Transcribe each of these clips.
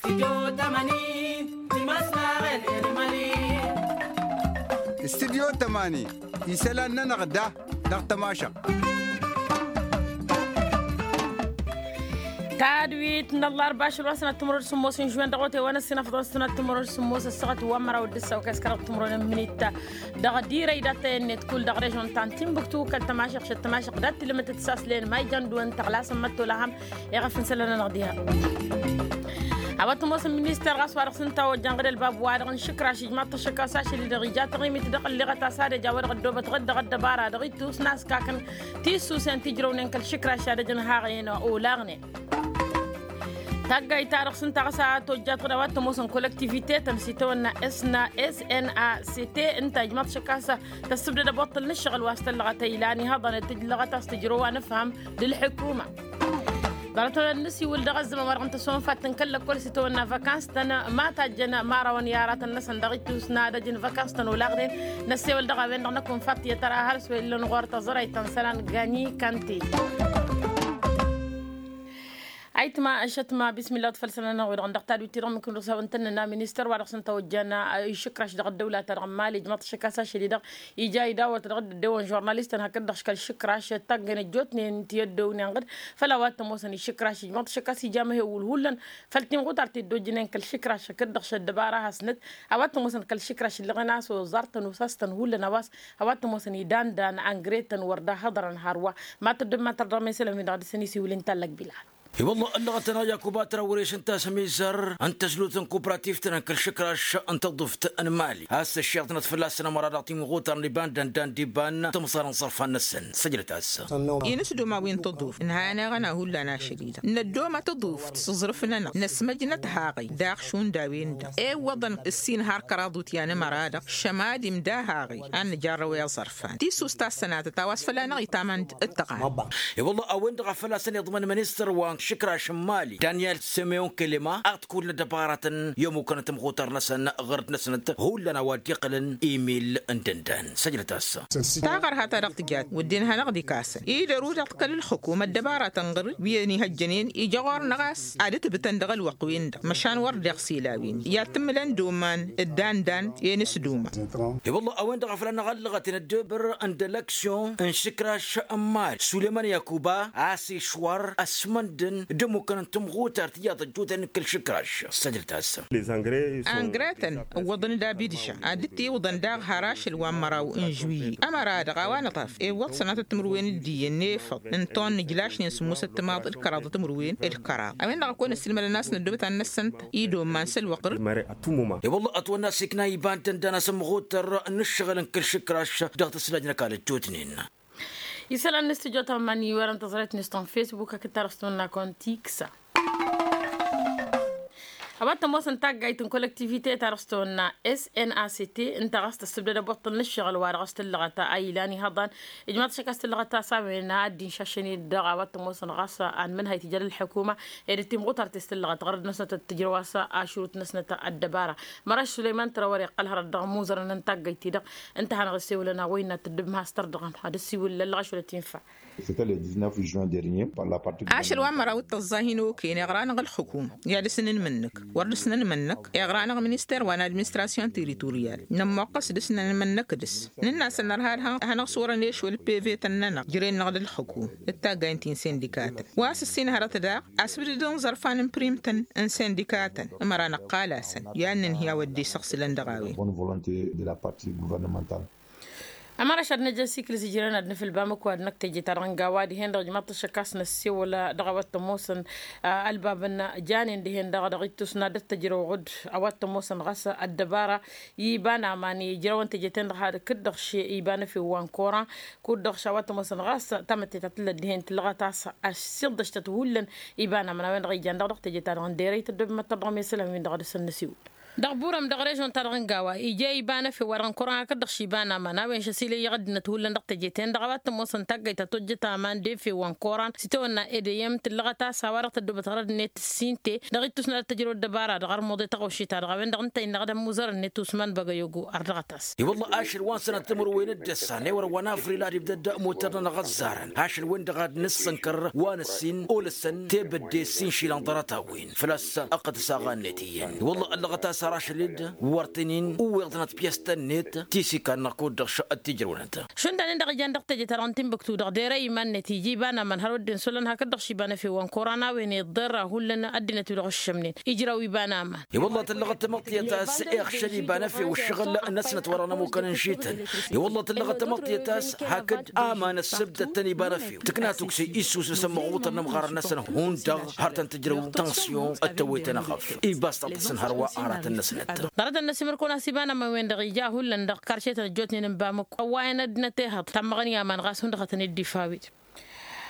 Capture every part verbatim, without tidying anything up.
Studyo tămani isălan-nănăɣ da dăɣ-tămašăɣt. Tadwit n-ăllarba ašăl wa n-sănat timărăw d-sǝmmos n-žuwen dăɣ-otay wa n-ăssinăfḍăn sănat timărăw d-sǝmmos ăssaɣăt wa n-măraw d-ǝssaw kăskărăɣ timărăw n-ămminit. Dăɣ-dirăy dat-tăyănnet kull dăɣ-režon ta n-tinbuktu kăl-tămašăɣ šăt tămašăɣ dat-tilǝmǝt d-saslen ma ijăn dăɣ-wăn tăɣlasăn măttola ham. Iɣăf n-sălănănăɣ diha a-wa t-ămoosăn minister ɣas wa dăɣ-s ǝnta ojjan ɣǝd ălbab-wa-dăɣ n-išǝkraš ijmaḍ-t ăššăk a-s ašăl-i-dăɣ ija taɣimit dăɣ-ălliɣăt a-s ad-ăj a-wa dăɣ-ăddoobăt ɣǝd dăɣ-ăddăbara dăɣ-ittus n-askakăn tissusen ti ǝjrăwnen kăl-išǝkraš ad-ăj n-haɣen olaɣnen. Taggayt-ta-dăɣ s-ǝnta ɣas a tojjat ɣǝd a-wa t-ămoosăn kolăktivite-tăn s-itawănna s-na s-n-a-c-t ǝnta ijmaḍ-t šăkk a-s tăssǝbdăd ăboṭṭăl n-ǝššăɣǝl wa s-tăllăɣăt ăylan ihăḍăn d-tǝjlăɣăt a-s tǝjrăw anǝfham d-ǝlḥǝkuma. Ḍarăt-ănn n-ăsiwǝl dăɣ-ăzzăman wa dăɣ-ǝnta s-onfat n-kăl-lăkkol s-itawănna văkans-tăn ma tajjăn imarawăn i-aratăn-năsăn dăɣ-ittus n-ad-ăj n-văkans-tăn olaɣnen. Năssewăl dăɣ-a-wen-dăɣ năkk onfat tiyyăt ara har s-wa illa n-ɣur-tăẓrăyt ta n-isălan gani kante. Ayǝtma ăššătma bismillah wa t-făll-sănănăɣ-wi-dăɣ dăɣ-tadwit-ti-dăɣ mǝkǝn-dăɣ s-a-wen tăn-nănna ministăr wa dăɣ-s ǝnta ojjan išǝkraš dăɣ-ăddăwla-ta-dăɣ n-mali ǝjmăḍ-t šăkk a-s ašăl-i-dăɣ ija idawăt dăɣ-dd-ăddewăn žurnalistăn hakd-dăɣ šăkk ălšǝkraš taggăyăn ăjjootnen ti ăddewnen ɣǝd. Făll-a-wa t-ămoosăn išǝkraš ijmăḍ-t šăkk a-s ija amăhewul hullan făll-timɣutar ti dd-ojjǝnen kăl-išǝkraš hakd-dăɣ šăddăbara hasnăt. A-wa t-ămoosăn kăl-išǝkraš ǝllăɣen a-s oẓar-tăn osas-tăn hullan a-wa s-a-wa t-ămoosăn idan-dan angre-tăn wăr dd-ahăḍărăn hărwa. Mad-tăddǝm mad-tărdăɣ mesălăn-win-dăɣ dăr-săn isiwǝl inta n-lăkbilal. I-wălla ăllăɣăt-anăɣ yakuba trawre šăn tasămizăr n-tăzlut n-kuprativt-nănăɣ kăl-išǝkraš n-tăḍuft n-mali a-s ăššeɣ-tănăt fălla-săn ămăra dăɣ-timɣutar n-iban d-ăndan d-iban tămẓar n-iẓărfan-năsăn. Săjdăt-as. Inǝsdum a-wi n-tăḍuft ǝnhăyăn-eɣăn a hullan ašăl-i-dăɣ năddom a tăḍuft s-aẓrǝf-nănăɣ năsmăjnăt haɣăy daɣ šund a-wen-dăɣ ewwăḍăn ǝssin har kăraḍ utyan ămăra-dăɣ šămad imda haɣăy ad-nǝjarrăw i-aẓărfan tisust a s-sănatăt a-wa s-fălla-năɣ itamăn d-tăɣan. I-wălla a-wen-dăɣ a făl-a-s ăniḍmăn ministăr wa n-išǝkraš n-mali daniel simeon kelema ad-t-kull n-ăddăbaratăn i-ămmukăn timɣutar-năsăn ɣur-dd-năsnăt hullan a-wa dd-iqqǝlăn imil n-dăndan. Săjdăt-as. Taɣărha ta dăɣ-tǝjat wădden hanăɣ-dd-ikasăn idăr-u dăɣ-t kăl-ǝlxǝkum ăddăbaratăn ɣur-wi ănihăjjănen ija ɣur-năɣ a-s ad-ǝtbǝtăn dăɣ-ălwăqq-win-dăɣ măšan wăr deɣ s-ila a-wen i-ad-tǝmmǝlăn d-oman d-andan i-inǝsduma. I-wălla a-wen-dăɣ a făl anăɣ-ăllăɣăt i-năddobăr n-dălăksyon n-išǝkraš n-mali sulăman yakuba a-s išwăr ăsmăndăn d-ămmukăn n-timɣutar tiyyăḍ ăjjootnen kăl-išǝkraš. Săjdăt-as. Angre-tăn ǝwwăḍăn d-abidža ad-dd-tiwǝḍăn daɣ har ašăl wa n-măraw n-žuwiyye ămăra-dăɣ a-wa nǝṭṭaf iwwăḍ sănatăt timǝrwen d-iyyăn n-efăḍ n-ton n-ǝjlašnen sǝmmosăt timaḍ d-kăraḍăt timǝrwen d-kăraḍ. A-wen-dăɣ a kăwăn-ăssiilmădăn a-s năddobăt ad-năssănt idomman s-ălwăqq. I-wălla ătwănna s-ikna iba n-tăndana s-ămmăɣutăr n-ǝššăɣǝl n-kăl-išǝkraš dăɣ-tǝslajnăk a lăjjootnen. Isălan n-studyo tămman iwărăn tăẓrăyt n-istan facebook hakd ta dăɣ-s tămănna kontiksa. A-wa t-ămoosăn taggayt n-kolăktivite ta dăɣ-s tăwănna s n a c t ǝnta ɣas tăssǝbdăd ăbuṭṭăl n-ǝššăɣǝl wa dăɣ-s tǝllăɣăt a ilan ihăḍan. Ijmaḍ-t šăkk a-s tǝllăɣăt a-s a-wen a dd-inšašăn-dd dăɣ-a-wa t-ămoosăn ɣas anmǝnhăy tijăl ǝlḥukuma ed ăttimɣutar ti s-tǝllăɣăt ɣărăd-năsnăt d-tǝjrăw a-s ašrut-năsnăt ăddăbara. Măraš sulăyman trawăr iqqăl hărăt dăɣ-imuzărăn n-taggayt-ti-dăɣ ǝnta a hanăɣ-issewǝlăn a-wa innă tǝddǝb ma has-tărdăɣăm ad-ăssiwǝl ăllăɣaš wăla t-infa. C'était le dix-neuf juin dernier par la partie. Ašăl wa n-măraw d-tăẓẓa hin-okăyăn iɣra-năɣ ǝlxǝkum i-ad-dăr-s nǝnmǝnnǝk wăr dăr-s nănmǝnnǝk iɣra-năɣ minister wa n-administration territorial nămmoqqăs dăr-s nănmǝnnǝk dăr-s nǝnn'-asăn nărha ad-hanăɣ-s wărăn ešwăl pevătăn-nănăɣ jăren-năɣ d-ǝlxǝkum d-taggay n-ti n-sindikatăn wa s-ǝssin hărăt daɣ asǝbdǝd n-iẓărfan n-primtăn n-sindikatăn ămăra năqqal-asăn i-ad-nǝnhǝy a-wa dd-isăɣsǝlăn dăɣ-a-wen. Bonne volonté de la partie gouvernementale. Ămăra ašăl năjăsikǝl s-ijrăn ad-nǝfǝl bamǝk wa dăɣ-năkk teje-ta-dăɣ n-gawa dihen dăɣ-ijmaḍ-t ăššăk a-s năssewăl dăɣ-a-wa t-ămoosăn ălbabăn janen dihen-dăɣ dăɣ-ittus n-ad-dd-tăjrăw ɣud a-wa t-ămoosăn ɣas ăddăbara iba n-aman ijrăwăn teje-ten-dăɣ hakd-dăɣ š-iba n-efew wa n-koran kud-dăɣ š-a-wa t-ămoosăn ɣas tamătte ta tǝllăt dihen tǝllăɣăt a-s ăssiḍăštăt hullan iba n-aman a-wen-dăɣ ijan dăɣ-dăɣ teje-ta-dăɣ n-derăy tăddob măttăr dăɣ-mesălăn-win-dăɣ ad-dăr-săn năsiwǝl. Dăɣ-burăm dăɣ-režon-ta-dăɣ n-gawa ija iba n-efew wa dăɣ-n koran hakd-dăɣ šiba n-aman a-wen šăsilăy iɣăddinăt hullan dăɣ-teje-ten-dăɣ a-wa t-ămoosăn taggayt ta tojjăt aman d-efew wa n-koran s-itawănna edeyăm tǝllăɣăt-as a-wa dăɣ-tăddobăt ɣărăd-net s-inte dăɣ-ittus n-ad-tăjrăw ăddăbara-dăɣ ărmuḍe tăɣawši-ta-dăɣ a-wen-dăɣ ǝnta innăɣ d-ămmuzărăn-net usman băgăyogo ărdăɣăt-as. I-wălla ašăl wa n-sănat timǝrwen d-ăssan ewăr wa n-afril ad-ibdăd mutăr-nănăɣ ăzzarăn ašăl-wen-dăɣ ad-nǝssǝnkăr wa n-ǝssin olăsăn tebădde s-inšilăn ḍarăt-a-wen făl-a-s ăqqăt s-aɣannet iyyăn i-wălla ăllăɣăt-as har ašăl-dd wăr tăn-in-uwweḍnăt pyăstăn-net ti s-ikan-năɣ kud-dăɣ šăqqăt tijrăwnăt. Šund a-nin-dăɣ ijan dăɣ-teje-ta-dăɣ n-timbuktu dăɣ-dere iman-net ija iba n-aman har wădden s-olăn hakd-dăɣ šiba n-efew wa n-koran a-wen iḍḍerra hullan ăddinăt-wi-dăɣ ǝššămnen ijraw iba n-aman. I-wălla tǝllăɣăt tamăḍtiyăt a-s iɣšăl iba n-efew ǝššăɣǝl-năsnăt wa dăɣ-nămukăn ǝnšităn. I-wălla tǝllăɣăt tamăḍtiyăt a-s hakd aman ăssǝbdăt-tăn iba n-efew tǝkna tukse issus n-asămmăɣutăr n-ămɣarăn-năsăn hundăɣ har tăn-tǝjrăw tănṣiyon d-tăwwet-anăɣ ăf iba s-taḍǝsăn hărwa aratăn-năsnăt. Ḍarăt-năs imǝrkăwăn a-s iba n-aman-wen-dăɣ ija hullan dăɣ-karše-tăn ăjjootnen n-bamăkko ăwwayăn ăddinăt ehăḍ tammăɣăn i-aman ɣas hundăɣ hătăn-dd-ifa a-wen.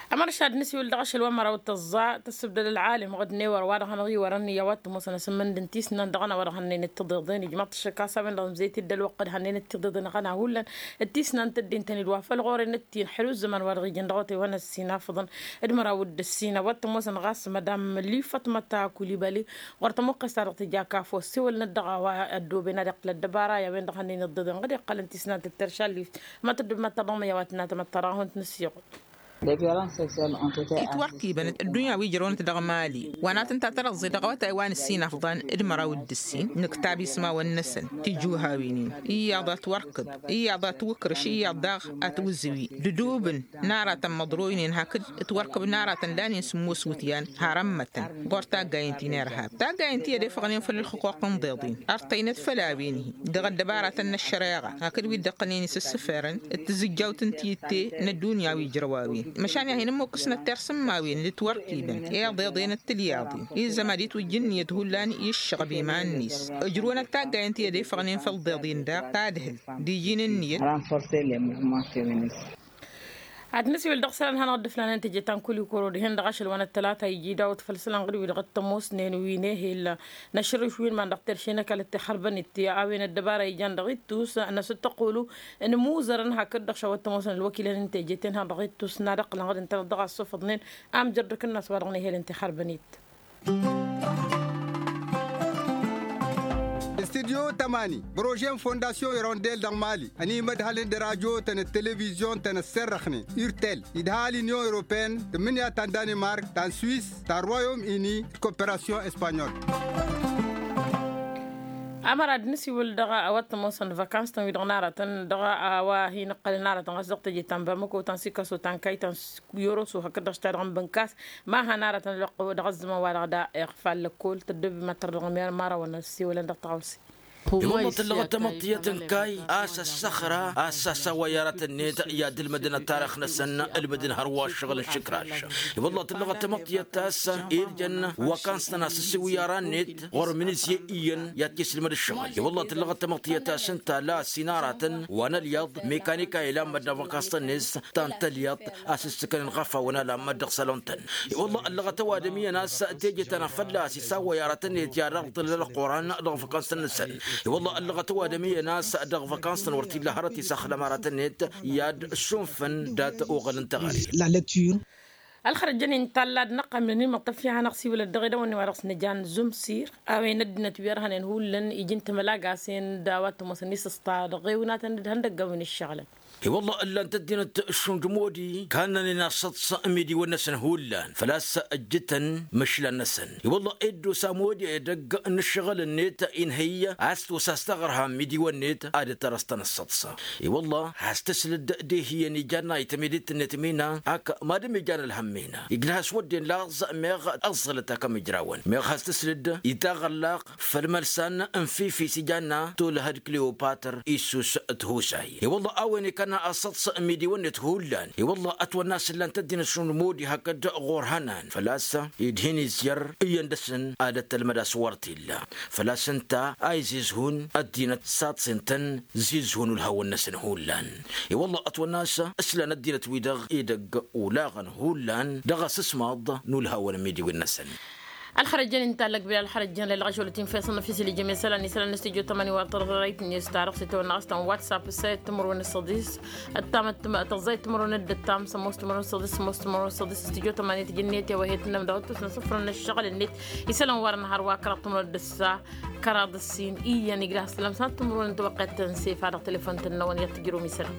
Amăršad n-asiwǝl dăɣ-ašăl wa n-măraw d-tăẓẓa tăssǝbdăd ălɣalim ɣǝd n-ewăr wa dăɣ-hanăɣ-iwărăn i-a-wa t-ămoosăn asǝmmǝnd n-tisnan dăɣ-ănn a-wa dăɣ-hănnen d-tiḍeḍen ijmaḍ-t ăššăk a-s a-wen-dăɣ ǝmzăyăt-dd ălwăqq d-hănnen d-tiḍeḍen ăɣăna hullan d-tisnan tăddintăn-dd wa făl ɣur-en d-ti n-ḥelu ăzzăman wa dăɣ-ijăn dăɣ-otay wa n-ăssin afǝḍăn d-măraw d-ǝssin a-wa t-ămoosăn ɣas madam lifăt măta kulibali ɣur-tămuqqes-ta-dăɣ tǝja kafo ăssewălnăt dăɣ-a-wa ăddooben ad-iqqǝl ăddăbara i-a-wen-dăɣ hănnen ǝḍḍeḍen ɣǝd iqqălăn tisnan tǝttăršallift ma tăddub ma tăḍămăy a-wa tǝnna tamăḍt ta dăɣ-a hund-nǝssiɣǝl. Itwărkibăn ăddunya wi ǝjrăwnăt dăɣ-mali wa n-ad-tǝnta tărăẓẓe dăɣ-awătay wa n-ǝssin afḍan d-măraw d-ǝssin nǝktab ismawăn-năsăn tijjuhawin-in iyyăḍ a tiwărkǝb iyyăḍ a tiwǝkrǝš iyyăḍ daɣ a tiwǝzǝwi d-ǝdubǝn n-aratăn măḍroynen hakd tiwărkǝb n-aratăn lanen sǝmmos iwǝtyan har ămmătăn ɣur-taggayen ti n-irhab taggayen ti ădefăɣnen făll-ǝlxǝquq n-iḍeḍen ărtăynăt făll-a-wen-hi dăɣ-ăddăbaratăn n-ăššăreɣa hakd wi dd-iqqălnen isǝssǝfărăn d-tizǝjjawt n-tiyyǝtte n-ăddunya wi ǝjrăw a-wen măšan i-ad-hin-ǝmmukkǝsnăt tersǝmmawen d-tiwărkibăn i-iḍeḍen d-tilyaḍin izzăm ad-itwǝjj ǝnniyăt hullan i-ǝššăɣăb iman-net ǝjrǝwăn ăttaggayen ti ădefăɣnen făll-iḍeḍen daɣ tadhǝlt d-iji n-ǝnniyăt. Ad-nǝsiwǝl dăɣ-isălan hanăɣ-dd-ǝflanen teje ta n-kulikuro dihen dăɣ-ašăl wa n-ăttălata iji dawăt făll-isălan ɣǝd-wi-dăɣ t-ămoosnen wi n-ehel n-ašărǝš wi n-iman dăɣ-terše n-ăkall t-ixărbăn-it a-wen ăddăbara ijan dăɣ-ittus n-asǝttăqulu n-imuzărăn hakd-dăɣ šawăt t-ămoosăn ălwăkilăn n-teje-ten-hanăɣ dăɣ-ittus n-ad-ăqqǝlăn ɣǝd ǝntăneḍ dăɣ-asuffăḍnen amjărdăk-năs wa dăɣ-nehel n-tixărbăn-it. Studyo tămani prože n-fondasyon irondel dăɣ-mali ănimădhălăn d-radyo-tăn d-televizyon-tăn ăsserrăxnen urtel idha l-inyon europeyăn tǝmmǝnǝya ta n-danimark ta n-swis ta n-royom ini d-koperasyon espanyol. Ămăra d-nǝsiwǝl dăɣ-a-wa t-ămoosăn vakans-tăn wi-dăɣ n-aratăn dăɣ-a-wa hin-ǝqqălăn aratăn ɣas dăɣ-teje ta n-bamăko ta n-sikaso ta n-kayy ta n-yoroso hakd-dăɣ s-ta dăɣ-n bǝnkas ma han aratăn ălwăqq dăɣ-ăzzăman-wa-dăɣ da iɣfal lăkkol tăddob imattăr dăɣ-mera n-imărawăn ăssiwălăn dăɣ-taɣawse. I-wălla tǝllăɣăt tamăḍt tiyyăt n-kayy a-s ăssăxra a-s sasawăy aratăn-net i-ad-ǝlmǝdăn ăttarix-năsăn ǝlmǝdăn hărwa ăššăɣǝl n-išǝkraš. I-wălla tǝllăɣăt tamăḍt tiyyăt a-s irjăn wakans-tăn a-s ǝssiwǝy ara-net ɣur-mǝnǝzye iyyăn i-ad-t-isǝlmăd ǝššăɣǝl i-wălla tǝllăɣăt tamăḍt tiyyăt a-s ǝnta la ăssin aratăn wa n-ălyaḍ mekanika ilammăd n-avăkans-tăn-net ta n-tălyaḍt a-s ǝssǝkănăn ɣafa wănalămmăd dăɣ-salon-tăn. I-wălla ăllăɣăt ăwadǝm iyyăn a-s teje ta n-afălla a-s isawăy aratăn-net i-ad-ăɣḍǝl ălquran dăɣ-văkans-tăn-năsăn. I-wălla ăllăɣăt ăwadǝm iyyăn a-s dăɣ-văkans-tăn wăr t-illa hărăt isaxlăm aratăn-net i-ad-sunfăn dat-oɣăl n-teɣăre. Ălxărăt jăn-in tallad n-ăqqam n-ănimăṭṭăf i-ad-hanăɣ-siwǝlăt dăɣ-edăwănne wa dăɣ-s nǝjan zumsir a-wen ăddinăt wi ărhănen hullan iji n-timălagasen d-a-wa t-ămoosăn isǝsṭa dăɣ-ewnatăn d-ihăndăggan wi n-ǝššăɣǝlăn. I-wălla ǝllan-t ăddinăt šund modi kannănen asăḍs n-imidiwăn-năsăn hullan făl-a-s ǝjjǝtăn măšlan-năsăn. I-wălla eddos amodi edăgg n-ǝššăɣǝl-net inhǝy a-s tosas taɣărha n-imidiwăn-net ad-dd-tărăẓ-tăn ăssăḍs. I-wălla has-tǝslǝd d-ehiyăn ijanna i-tămedit-net mina ak madǝm ijan ălhăm mina ijlăh a-s wădden laẓ meɣ ăẓẓălăt akăm ijrawăn meɣ has-tǝslǝd i-taɣăllaq făll-imălsan n-fifi s-ijanna tolăhăd kleopatr issus. Tihusay i-wălla a-wen ikănna asăḍs n-imidiwăn-net hullan i-wălla ătwănna a-s ǝllan-t ăddinăt šund modi hakd ɣur-hănan făl-a-s id-hin-izyăr iyyăn dăr-săn ad-ăttălmăd a-s wăr t-illa. Făl-a-s ǝnta a izizhun ăddinăt saḍsen-tăn zizhun ulhawăn-năsăn hullan. I-wălla ătwănna a-s ǝslan ăddinăt-wi-dăɣ edăgg olaɣăn hullan dăɣ-asǝsmaḍ n-ulhawăn n-imidiwen-năsăn. Ălxărăjăn inta ăllăgbel ălxărăjăn lălɣăš wălăt infa isănnăf isǝlijăm isălan isălan n-stujo tămani wa tărăɣit n-istarăɣ s-itawănnaɣ s-tăn whatsapp s-tăẓẓayt timǝrwen n-săḍis ăttam ăttăm tăẓẓayt timǝrwen n-dd-ăttam sămoos timǝrwen n-săḍis sămoos timǝrwen n-săḍis s-stujo tămani tǝjǝnnet i-awăhet n-inămdăɣ ăttus n-asǝfrăn n-ăššăɣǝl-net isălan wărăn hărwa kăraḍ timǝrwen d-ǝssa kăraḍ ǝssin iyyăn igras s-lămsăn timǝrwen n-tiwăqqet tăn-sef ad-dăɣ telefon-tăn-năwăn i-ad-tǝjrǝw n-isălan.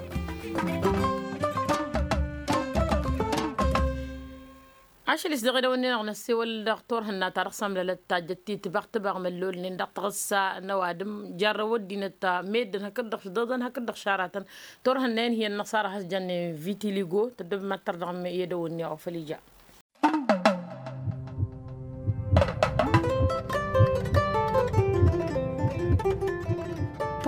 Ašăl-is dăɣ-edăwănne-năɣ năssewăl dăɣ-turhǝnna ta dăɣ-samlalăt ta jăt-titbăɣ tǝbăɣ măllolnen dăɣ-taɣǝssa n-ăwadǝm jarrăw ăddinăt meddǝn hakd-dăɣ šdăḍăn hakd-dăɣ šaratăn turhǝnna-in hi-ănnăṣara has-jănnen vitiligo tăddăb mad-tărdăɣ i-edăwănne-năɣ făl ija.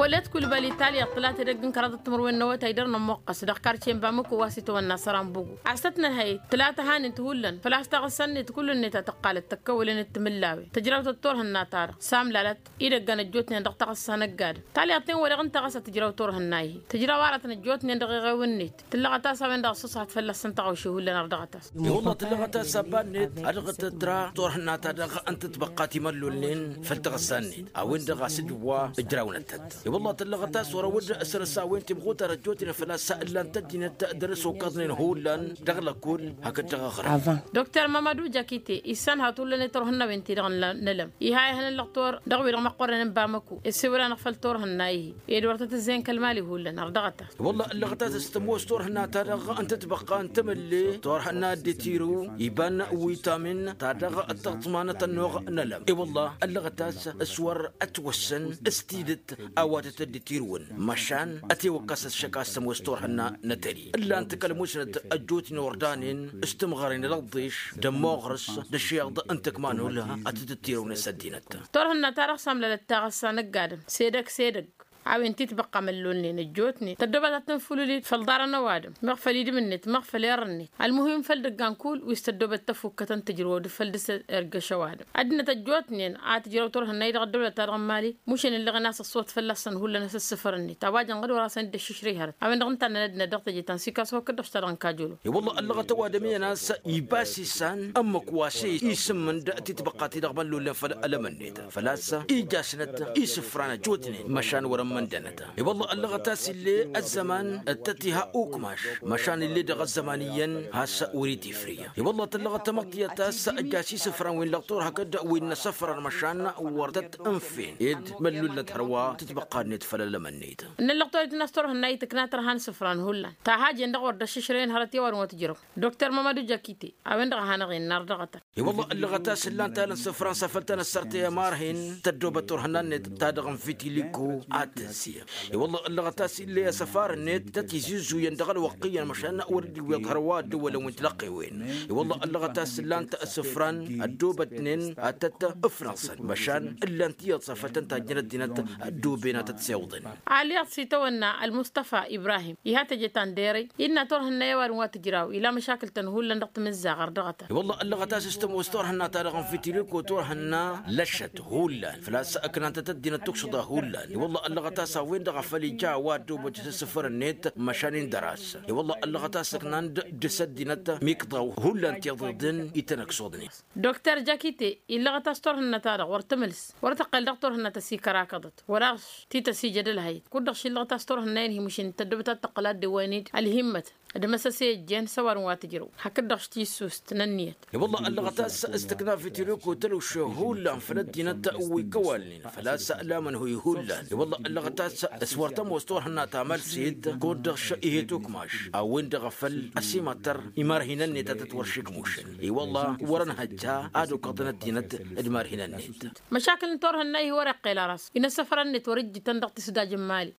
Polet kulbali talyaḍ tǝlat edăgg n-kăraḍăt timǝrwen n-awătay dăr-nămmuqqăs dăɣ-karce n-bamǝku wa s-itawănna sărambugu a-s tăt-nǝnhăy tǝlat ăhanen-t hullan făl-a-s taɣǝssa-net kull-net a tăqqalăt tăkkăwălăn d-timǝllawen tǝjrawt d-turhǝnna-ta-dăɣ samlalăt idăggan ăjjootnen dăɣ-taɣǝssa n-ăgg-adǝm talyaḍt-en-wen-dăɣ ǝnta ɣas a tǝjraw turhǝnna-i-hi tǝjraw aratăn ăjjootnen dăɣ-iɣew-net tǝllăɣăt a-s a-wen-dăɣ ăṣṣuṣăt fălla-săn tăɣawše hullan ărdăɣăt-as. I-wălla tǝllăɣăt a-s abba-net a dăɣ-tǝtra turhǝnna-ta-dăɣ n-tǝtbăqqa timăllolnen făll-taɣǝssa-net a-wen-dăɣ a-s ǝjwa ǝjrawnăt-tăt. I-wălla tǝllăɣăt a-s wăr-ăwǝd săr-s a-wen timɣutar ăjjootnen făl-a-s ǝllan-t ăddinăt dăr-s okăḍnen hullan dăɣ-lăkkul hakd dăɣ-aɣrǝm. Dr mamadu jakite issan hatullan i-turhǝnna-wen-ti-dăɣ n-lăm iha ihăn ǝllăɣ-t wăr dăɣ-wi-dăɣ măqqornen n-bamăku issewăl-anăɣ făll-turhǝnna-i-hi ed wăr tăt-ǝzzeyăn kăl-mali hullan ărdăɣăt-as. Wălla ǝllăɣăt a-s s-tămoos turhǝnna-ta-dăɣ n-tǝtbăqqa n-temǝlle turhǝnna dd-itiru iba n-witamin ta dăɣ-tăɣtǝma n-atănnuɣ n-alăm i-wălla ǝllăɣăt a-s s-wăr ătwăssăn s-tidǝt a-wa tăt-dd-itirǝwăn măšan ătewăkkas ăššăk a-s tămoos turhǝnna n-atări ǝllan-t kăl-musnăt ăjjootnen ordanen s-tǝmɣăren d-ăḍḍeš d-ămmoɣrǝs d-ăššiḍ n-tǝkmanul a tǝtǝttirǝwnen s-ăddinăt. Turhǝnna-ta-dăɣ s-amlalăt taɣǝssa n-ăgg-adǝm s-edăgg s-edăgg a-wen titbăqqa măllolnen ăjjootnen tăddobăt ad-tăn-fulǝlit făll-iḍarăn ăwadǝm meɣ făll-idǝm-net meɣ făll-err-net ălmuhim făll-idăggan kull wi s-tăddobăt tăfukkătăn tǝjrǝwăw d-făll-dăr-s ergăš ăwadǝm ăddinăt ăjjootnen a tǝjrăw turhǝnna-i-dăɣ ăddăwlăt-ta-dăɣ n-mali mušen ǝllăɣen a-s ăṣṣuwăt fălla-săn hullan asǝssǝfăr-net a-wa jăn ɣǝd wăr-asăn dd-ăššǝšrǝy hărăt a-wen-dăɣ ǝnta a nănădnăt dăɣ-teje ta n-sikasu hakd-dăɣ ta dăɣ-n kajolo. I-wălla ăllăɣăt ăwadǝm iyyăn a-s iba s-isan ǝmmǝk wa s-isǝmmǝnd titbăqqa-ti-dăɣ măllollen făll-ălăm-net făl-a-s ija-snăt isǝfran ăjjootnen măšan wăr-ǝmmǝndănăt. I-wălla ăllăɣăt a-s ill'-e ăzzăman d-tăt-iha ukmaš măšan ill'-e dăɣ-ăzzăman iyyăn has-wăr-itifrǝy. I-wălla tǝllăɣăt tamăḍt tiyyăt a-s ăjjaš isǝfran wi n-lăɣtur hakd wi n-inăsăfrăn măšan wăr tăt-ǝnfen ed măllullăt hărwa tǝtbăqqad-net făll-ălămăn-net. Ǝnnăn lăɣturit n-asturhǝnna itǝkna tărha n-isǝfran hullan ta hajen-dăɣ wăr dd-ăššǝšrăyăn hărăt i-ăwadǝm wa tǝjrăw. Dokter mămădu jakite a-wen-dăɣ a hanăɣ-innă ardăɣătăn. I-wălla ǝllăɣăt a-s ǝllan-t alăn isǝfran s-afăl tăn-ăssărtăy ămarhin tăddoobăt turhǝnna-net ta dăɣ-n vitiliko ad-tǝnsi. I-wălla ǝllăɣăt a-s ill'-e asăfar-net tăt-izuzuyăn dăɣ-ălwăqq iyyăn măšan wăr dd-iwweḍ hărwa ăddăwălăn wi n-tilăqqewen. I-wălla ǝllăɣăt a-s ǝllan-t isǝfran ăddoobătnen ad-tăt-ǝfnăɣsăn măšan ǝllan-t iyyăḍ s-afăl tăn-tajjăn ăddinăt ăddooben ad-tăt-siwǝḍăn. Alyaḍ s-itawănna ălmustăfa ibrahim iha teje ta n-derăy innă turhǝnna i-ăwadǝm wa tǝjraw ila măšakǝl-tăn hullan dăɣ-timǝzzaɣ ărdăɣătăn. I-wălla ăllăɣăt a-s s-tămoos turhǝnna-ta-dăɣ n-fitiriko turhǝnna lăšăt hullan făl-a-s ǝknan-tăt ăddinăt tukšǝḍa hullan. I-wălla ăllăɣăt a-s a-wen-dăɣ a făl ija a-wa ăddoobăt s-asǝfăr-net măšan indăr-as. I-wălla ăllăɣăt a-s ǝknan-dd s-ăddinăt mikḍaw hullan tiḍeḍen itănăksuḍnen. Dokter jakite illăɣăt a-s turhǝnna-ta-dăɣ wăr tǝmǝls wăr tăqqăl dăɣ-turhǝnna tăsikărakăḍăt wăla tităsijăd ălhăyăt kud-dăɣ šillăɣăt a-s turhǝnna-in hi-mušǝn tăddobăt ad-tăqqăl ad-dd-ăwwăyăn-dd ălhimmăt d-imăsăse ăjjeen s-ăwadǝm wa tǝjrăw hakd-dăɣ tijsust n-ǝnniyăt. I-wălla ăllăɣăt a-s s-tǝkna vitiriko tăluše hullan făll-ăddinăt wi kăwalnen făl-a-s lamănhuy hullan. I-wălla ăllăɣăt a-s s-wăr tămoos turhǝnna ta mălset kud-dăɣ š-ihet ukmaš a-wen-dăɣ a-făl ăsimăttăr imarhinăn-net a tăt-wăr šikmušăn. I-wălla wăr-ănhăjja ad-okăḍăn ăddinăt d-imarhinăn-net. Măšakǝl n-turhǝnna-i hi wăr-iqqel ara a-s inăsăfărăn-net wăr-ǝjjǝtăn dăɣ-tisdaj n-mali.